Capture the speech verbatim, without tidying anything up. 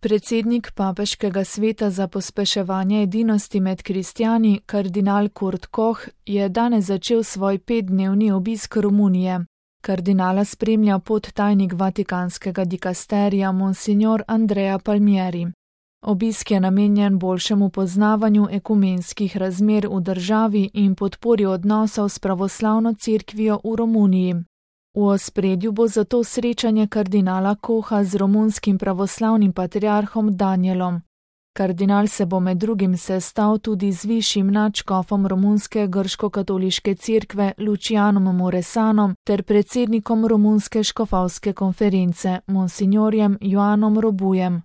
Predsednik Papeškega sveta za pospeševanje edinosti med kristjani, kardinal Kurt Koch, je danes začel svoj petdnevni obisk Romunije. Kardinala spremlja podtajnik vatikanskega dikasterija monsignor Andrea Palmieri. Obisk je namenjen boljšemu poznavanju ekumenskih razmer v državi in podpori odnosov s pravoslavno cerkvijo v Romuniji. V ospredju bo zato srečanje kardinala Kocha z romunskim pravoslavnim patriarhom Danielom. Kardinal se bo med drugim sestal tudi z višjim nadškofom romunske grško-katoliške cerkve Lucianom Muresanom ter predsednikom romunske škofovske konference, monsignorjem Joanom Robujem.